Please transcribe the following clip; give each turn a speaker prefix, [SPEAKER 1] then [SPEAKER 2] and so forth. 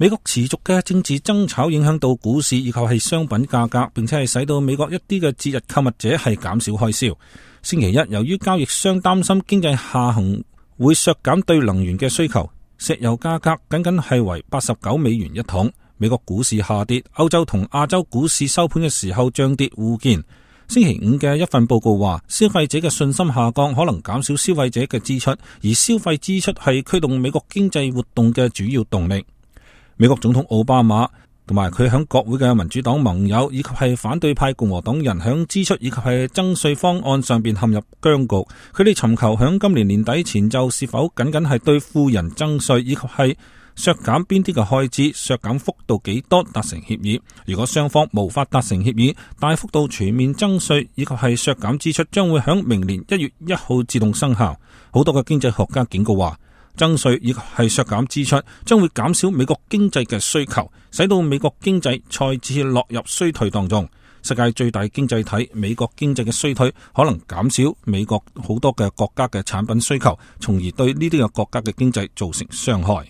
[SPEAKER 1] 美國持續嘅政治爭吵影響到股市以及係商品價格，並且係使到美國一啲嘅節日購物者係減少開銷。星期一，由於交易商擔心經濟下行會削減對能源嘅需求，石油價格僅僅係為$89一桶。美國股市下跌，歐洲同亞洲股市收盤嘅時候漲跌互見。星期五嘅一份報告話，消費者嘅信心下降可能減少消費者嘅支出，而消費支出係驅動美國經濟活動嘅主要動力。美國總統奧巴馬同埋佢響國會嘅民主黨盟友以及係反對派共和黨人響支出以及係增稅方案上邊陷入僵局，佢哋尋求響今年年底前就是否僅僅係對富人增稅以及係削減邊啲嘅開支，削減幅度幾多達成協議。如果雙方無法達成協議，大幅度全面增稅以及係削減支出將會響明年1月1號自動生效。好多嘅經濟學家警告話，增稅以及係削減支出將會減少美國經濟嘅需求，使到美國經濟再次落入衰退當中。世界最大經濟體美國經濟嘅衰退可能減少美國好多嘅國家嘅產品需求，從而對呢啲嘅國家嘅經濟造成傷害。